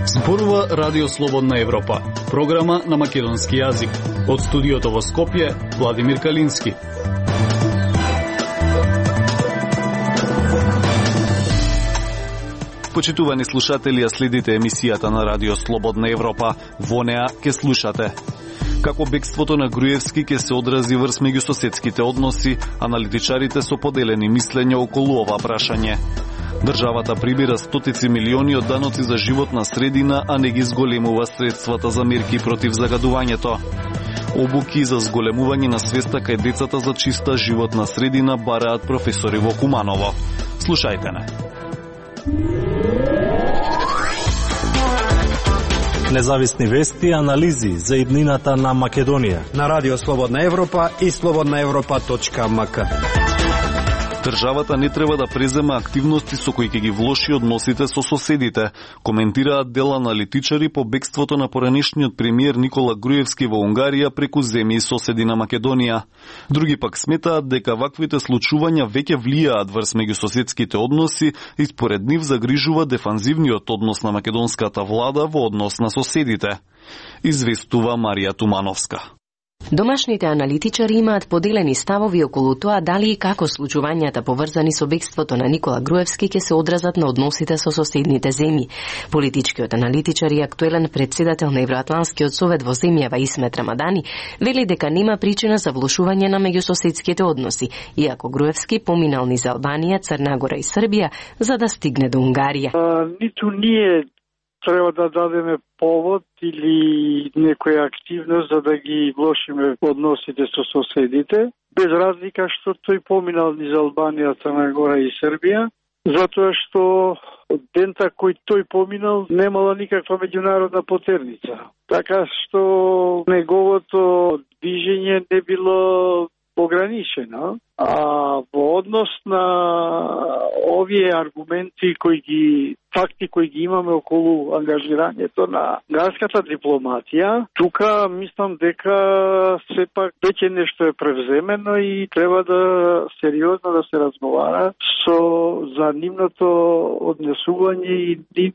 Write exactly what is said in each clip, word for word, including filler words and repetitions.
Зборува Радио Слободна Европа, програма на македонски јазик. Од студиото во Скопје, Владимир Калински. Почитувани слушатели, ја следите емисијата на Радио Слободна Европа. Во неа ке слушате како бегството на Груевски ке се одрази врз меѓусоседските односи, аналитичарите со поделени мислења околу ова прашање. Државата прибира стотици милиони од даноци за животна средина, а не ги зголемува средствата за мерки против загадувањето. Обуки за зголемување на свеста кај децата за чиста животна средина бараат професори во Куманово. Слушајте не. Независни вести и анализи за иднината на Македонија на Радио Слободна Европа и слободна европа точка ем ка. Државата не треба да презема активности со кои ќе ги влоши односите со соседите, коментираат дел аналитичари по бегството на поранешниот премиер Никола Груевски во Унгарија преку земји соседи на Македонија. Други пак сметаат дека ваквите случувања веќе влијаат врз меѓусоседските односи и според нив загрижува дефанзивниот однос на македонската влада во однос на соседите. Известува Марија Тумановска. Домашните аналитичари имаат поделени ставови околу тоа дали и како случувањата поврзани со бегството на Никола Груевски ќе се одразат на односите со соседните земји. Политичкиот аналитичар и актуелен председател на Евроатланскиот совет во земјава Исмет Рамадани вели дека нема причина за влошување на меѓусоседските односи, иако Груевски поминал низ Албанија, Црна Гора и Србија за да стигне до Унгарија. А, ниту ние треба да дадеме повод или некоја активност за да ги влошиме односите со соседите, без разлика што тој поминал низ Албанија, Црна Гора и Србија, затоа што дента кој тој поминал немала никаква меѓународна потерница. Така што неговото движење не било ограничено, а во однос на овие аргументи кои ги факти кои ги имаме околу ангажирањето на градската дипломатија, тука мислам дека сепак веќе нешто е превземено и треба да сериозно да се разговара со за нивното однесување и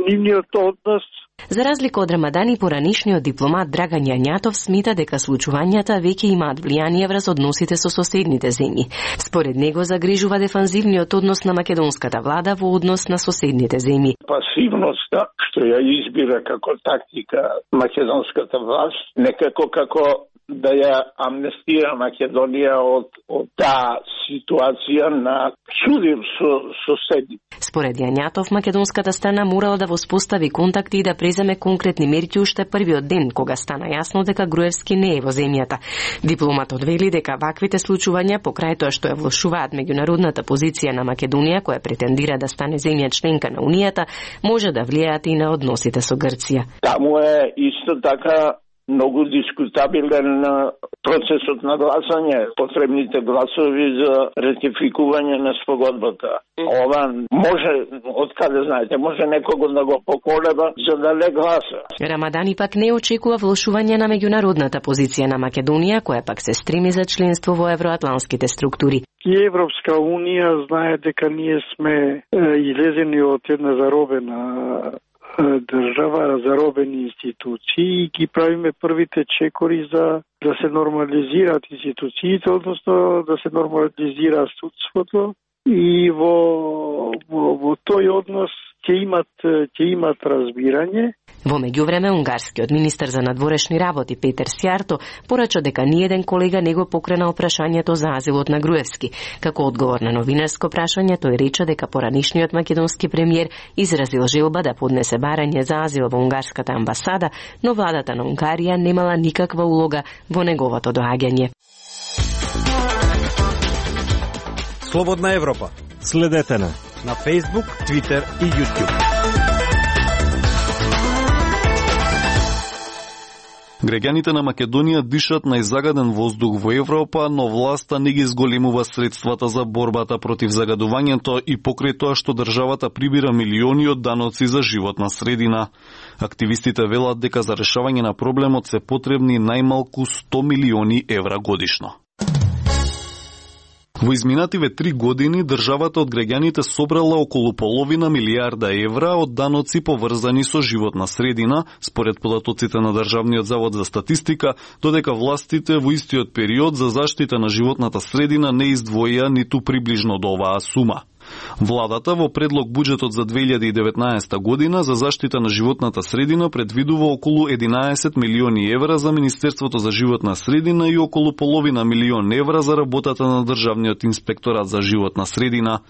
нивниот однос. За разлика од Рамадани, поранишниот дипломат Драган Јањатов смета дека случувањата веќе имаат влијание врз односите со соседните земји. Според него загрижува дефанзивниот однос на македонската влада во однос на соседните земји. Пасивноста што ја избира како тактика македонската власт, некако како да ја амнестира Македонија од, од таа ситуација на судир со соседи. Според Јањатов, македонската страна морала да воспостави контакти и да преземе конкретни мерки уште првиот ден, кога стана јасно дека Груевски не е во земјата. Дипломатот вели дека ваквите случувања, покрај тоа што ја влошуваат меѓународната позиција на Македонија, која претендира да стане земја членка на Унијата, може да влијаат и на односите со Грција. Таму е исто така многу дискутабилен процесот на гласање, потребните гласови за ратификување на спогодбата. Ова може, откаде знаете, може некого да го поколеба за да не гласа. Рамадани пак не очекува влошување на меѓународната позиција на Македонија, која пак се стреми за членство во евроатланските структури. И Европска Унија знае дека ние сме излезени од една заробена држава, заробени институции и ги правиме првите чекори за да се нормализираат институциите, односно да се нормализира судството и во, во, во тој однос ќе имат, ќе имат разбирање. Во меѓувреме, унгарскиот министер за надворешни работи Петер Сјарто порача дека ниеден колега не го покренал прашањето за азилот на Груевски. Како одговор на новинарско прашање, тој рече дека поранишниот македонски премиер изразил желба да поднесе барање за азил во унгарската амбасада, но владата на Унгарија немала никаква улога во неговото доаѓање. Слободна Европа. Следете на на Facebook, Twitter и YouTube. Граѓаните на Македонија дишат најзагаден воздух во Европа, но власта не ги зголемува средствата за борбата против загадувањето и покрај тоа што државата прибира милиони од даноци за животна средина. Активистите велат дека за решавање на проблемот се потребни најмалку сто милиони евра годишно. Во изминативе три години државата од граѓаните собрала околу половина милијарда евра од даноци поврзани со животна средина, според податоците на Државниот завод за статистика, додека властите во истиот период за заштита на животната средина не издвоија ниту приближно до оваа сума. Владата во предлог буџетот за две илјади и деветнаесета година за заштита на животната средина предвидува околу единаесет милиони евра за Министерството за животна средина и околу половина милион евра за работата на Државниот инспекторат за животна средина.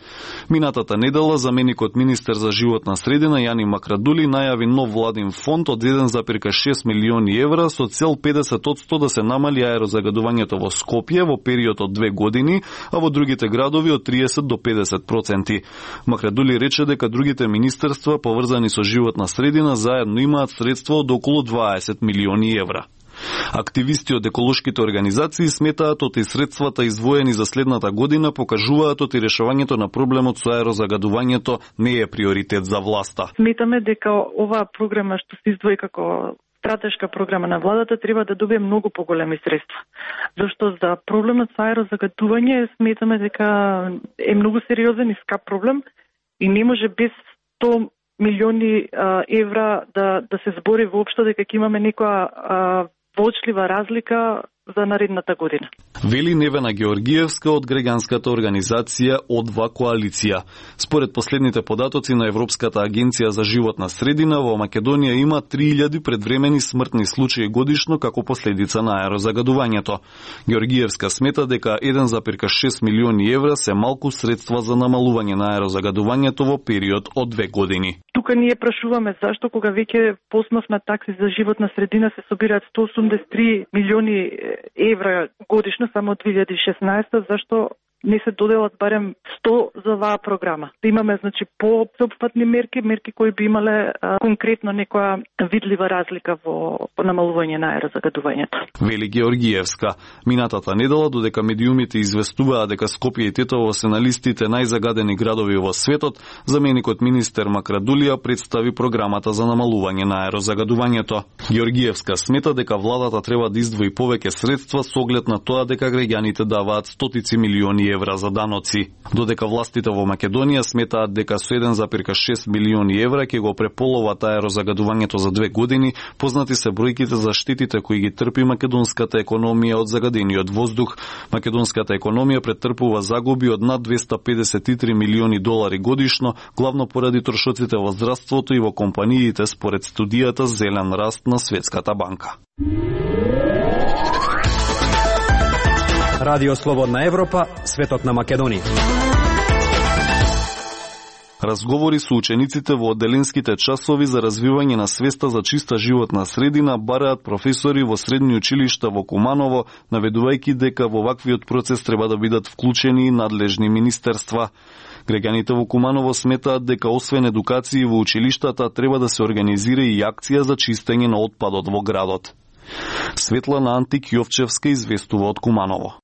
Минатата недела заменикот министер за животна средина Јани Макрадули најави нов владин фонд од еден зарез шест милиони евра со цел педесет одсто да се намали аерозагадувањето во Скопје во период од две години, а во другите градови од триесет до педесет проценти. Макрадули рече дека другите министерства поврзани со животна средина заедно имаат средства од околу дваесет милиони евра. Активисти од еколошките организации сметаат оти средствата издвоени за следната година покажуваат оти решавањето на проблемот со аерозагадувањето не е приоритет за власта. Сметаме дека оваа програма што се издвои како стратешка програма на владата треба да добие многу поголеми средства. Зашто за проблемот со аерозагадување сметаме дека е многу сериозен и скап проблем и не може без сто милиони а, евра да да се збори воопшто дека ќе имаме некоја а, вочлива разлика за наредната година. Вели Невена Георгиевска од граѓанската организација О два коалиција. Според последните податоци на Европската агенција за животна средина, во Македонија има три илјади предвремени смртни случаи годишно како последица на аерозагадувањето. Георгиевска смета дека еден зарез шест милиони евра се малку средства за намалување на аерозагадувањето во период од две години. Тука ние прашуваме зашто кога веќе по основ на такси за животна средина се собираат сто осумдесет и три милиони евра годишно само од две илјади и шеснаесета, зашто не се доделат барем сто за оваа програма. Да имаме значи по-опфатни мерки, мерки кои би имале а, конкретно некоја видлива разлика во, во намалување на аерозагадувањето. Вели Георгиевска. Минатата недела, додека медиумите известуваа дека Скопје и Тетово се на листите најзагадени градови во светот, заменикот министер Макрадулија представи програмата за намалување на аерозагадувањето. Георгиевска смета дека владата треба да издвои повеќе средства со оглед на тоа дека граѓаните даваат стотици милиони евра за даноци. Додека властите во Македонија сметаат дека со еден зарез шест милиони евра ќе го преполоват аерозагадувањето за две години, познати се бројките за штетите кои ги трпи македонската економија од загадениот воздух. Македонската економија претрпува загуби од над двесте педесет и три милиони долари годишно, главно поради трошоците во здравството и во компаниите според студијата Зелен раст на Светската банка. Радио Слободна Европа, светот на Македонија. Разговори со учениците во одделенските часови за развивање на свеста за чиста животна средина бараат професори во средни училишта во Куманово, наведувајќи дека во ваквиот процес треба да бидат вклучени и надлежни министерства. Граѓаните во Куманово сметаат дека освен едукација во училиштата треба да се организира и акција за чистење на отпадот во градот. Светлана Антик Јовчевска известува од Куманово.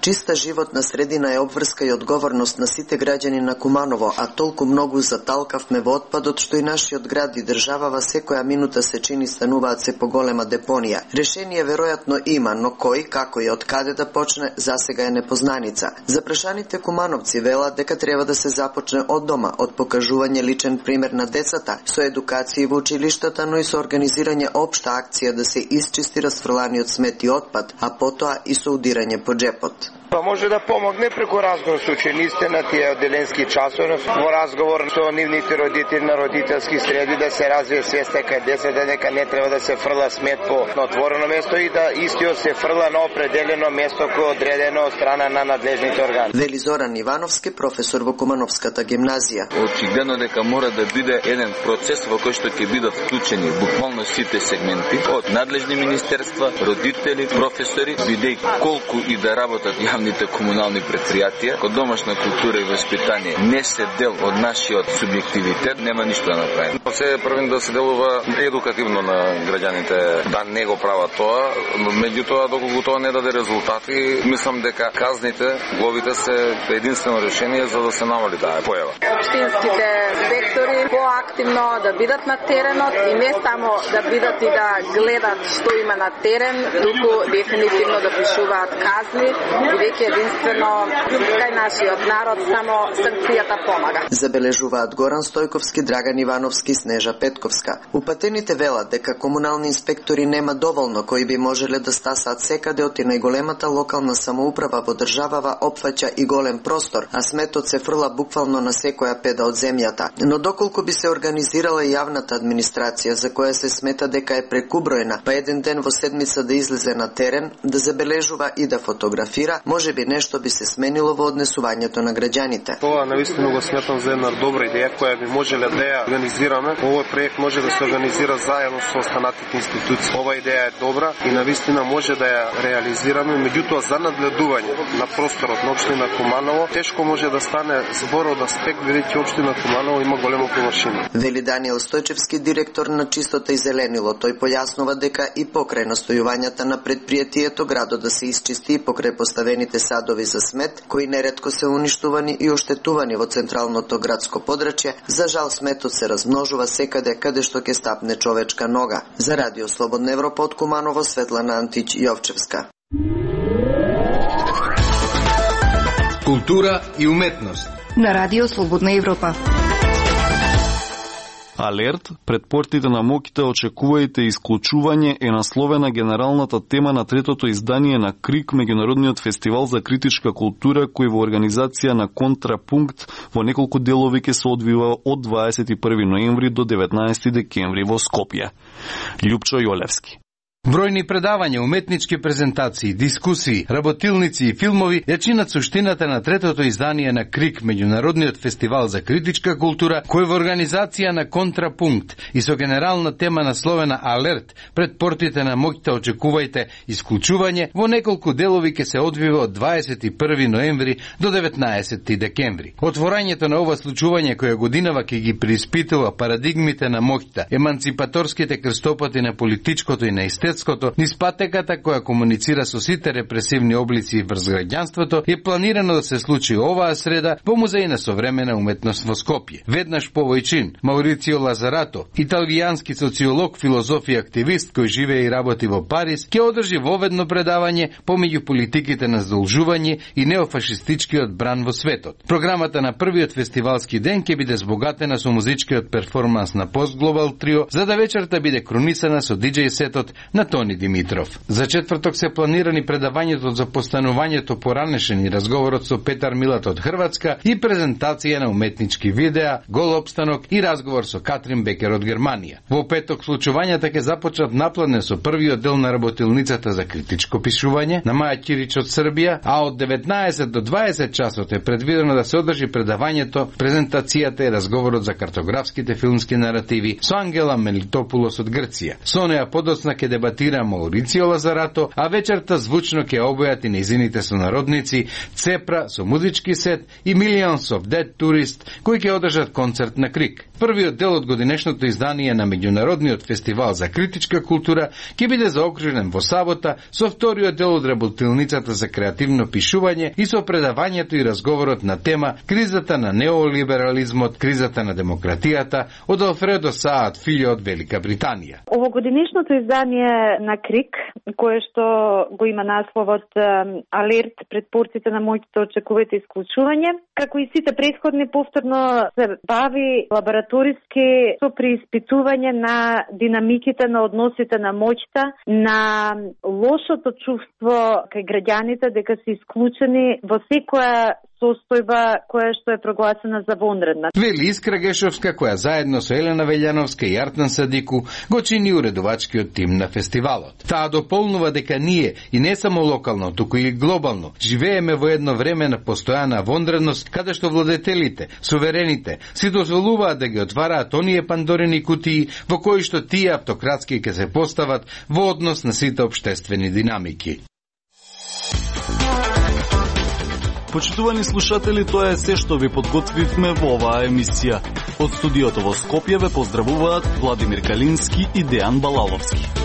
Чиста животна средина е обврска и одговорност на сите граѓани на Куманово, а толку многу заталкавме во отпадот што и нашиот град и држава во секоја минута се чини стануваат се поголема депонија. Решение веројатно има, но кој, како и од каде да почне, засега е непознаница. Запрашаните кумановци велат дека треба да се започне од дома, од покажување личен пример на децата, со едукација во училиштата, но и со организирање општа акција да се исчисти расфрланиот смет и отпад, а потоа и со удирање по джепот. Па може да помогне преку разговор со учениците на тие одделенски часови, во разговор со нивните родители на родителски среди да се развие свеста кај децата дека не треба да се фрла смет по отворено место и да истиот се фрла на определено место кој е одредено од страна на надлежните органи. Вели Зоран Ивановски, професор во Кумановската гимназија. Очигледно дека мора да биде еден процес во кој што ќе бидат вклучени буквално сите сегменти од надлежни министерства, родители, професори, бидејќи колку и да работат јавните комунални предпријатија, кога домашна култура и воспитание не се дел од нашиот субјективитет, нема ништо да направи. Се првен да се делува едукативно на граѓаните, да не го прават тоа, меѓутоа доколку тоа не даде резултати, мислам дека казните, глобите се единствено решение за да се намали таа појава. Општинските директори поактивно да бидат на теренот и не само да бидат и да гледат што има на терен, туку дефинитивно да пишуваат казни, бидејќи веќе единствено кај нашиот народ само санкцијата помага. Забележуваат Горан Стојковски, Драган Ивановски, Снежа Петковска. Упатените велат дека комунални инспектори нема доволно кои би можеле да стасаат секаде, оти најголемата локална самоуправа во државава опфаќа и голем простор, а сметот се фрла буквално на секоја педа од земјата. Но доколку би се организирала јавната администрација, за која се смета дека е прекуброена, па еден ден во седмица да излезе на терен, да забележува и да фотографира, можеби нешто би се сменило во однесувањето на граѓаните. Тоа навистина го сметам за една добра идеја која би можеле да ја организираме. Овој проект може да се организира заедно со останатите институции. Ова идеја е добра и навистина може да ја реализираме, меѓутоа за надледување на просторот на општина Куманово тешко може да стане збор од аспект бидејќи општина Куманово има голема површина. Вели Даниел Стојчевски, директор на Чистота и зеленило. Тој појаснува дека и покрај настојувањата на предпријатието градот да се исчисти и покрај поставените садови за смет, кои неретко се уништувани и оштетувани во централното градско подрачје, за жал сметот се размножува секаде каде што ќе стапне човечка нога. За Радио Слободна Европа од Куманово, Светлана Антич Јовчевска. Култура и уметност на Радио Слободна Европа. Алерт, пред портите на Моките очекувајте исклучување е насловена генералната тема на третото издание на КРИК, меѓународниот фестивал за критичка култура, кој во организација на Контрапункт во неколку делови ќе се одвива од дваесет и први ноември до деветнаесети декември во Скопје. Љупчо Јолевски. Бројни предавања, уметнички презентации, дискусии, работилници и филмови ја чинат суштината на третото издание на КРИК, меѓународниот фестивал за критичка култура, кој во организација на Контрапункт и со генерална тема насловена Алерт, пред портите на Моките очекувајте исклучување, во неколку делови ќе се одвива од дваесет и први ноември до деветнаесети декември. Отворањето на ова случување која годинава ќе ги преиспитува парадигмите на Моките, еманципаторските крстопати на политичкото и на естетското, низ патеката која комуницира со сите репресивни облици врз граѓанството, е планирано да се случи оваа среда во Музеј на современа уметност во Скопје. Веднаш по овој чин, Маурицио Лазарато, италијански социолог, филозоф и активист кој живее и работи во Париз, ќе одржи воведно предавање помеѓу политиките на здолжување и неофашистичкиот бран во светот. Програмата на првиот фестивалски ден ќе биде збогатена со музичкиот перформанс на Post Global Trio, за да вечерта биде кронисана со диџеј сетот на Тони Димитров. За четврток се планирани предавањето за постанувањето поранешен и разговорот со Петар Милат од Хрватска и презентација на уметнички видеа, гол опстанок и разговор со Катрин Бекер од Германија. Во петок случувањата ќе започнат наплане со првиот дел на работилницата за критичко пишување на Маја Кирич од Србија, а од деветнаесет до дваесет часот е предвидено да се одржи предавањето, презентацијата и разговорот за картографските филмски наративи со Ангела Мелитопулос од Грција. Со неа подоцна ќе дебатира Маурицио Лазарато, а вечерта звучно ќе обојат и нејзините сонародници Цепра со музички сет и Millions of Dead Tourist, кои ќе одржат концерт на КРИК. Првиот дел од годинешното издание на меѓународниот фестивал за критичка култура ќе биде заокружен во сабота со вториот дел од работилницата за креативно пишување и со предавањето и разговорот на тема кризата на неолиберализмот, кризата на демократијата од Алфредо Саат Филјо од Велика Британија. Овогодинешното издание на КРИК, кое што го има насловот Алерт, пред портите на Моките очекувајте исклучување, како и сите претходни, повторно се бави лабораториски со преиспитување на динамиките на односите на моќта, на лошото чувство кај граѓаните дека се исклучени во секоја состојба која што е прогласена за вонредна. Вели Искра Гешовска, која заедно со Елена Велјановска и Артан Садику го чини уредувачкиот тим на фестивалот. Таа дополнува дека ние, и не само локално, туку и глобално, живееме во едно време на постојана вонредност, каде што владетелите, суверените, си дозволуваат да ги отвараат оние пандорени кутии во кои што тие автократски ќе се постават во однос на сите општествени динамики. Почитувани слушатели, тоа е се што ви подготвивме во оваа емисија. Од студиото во Скопје ве поздравуваат Владимир Калински и Дејан Балаловски.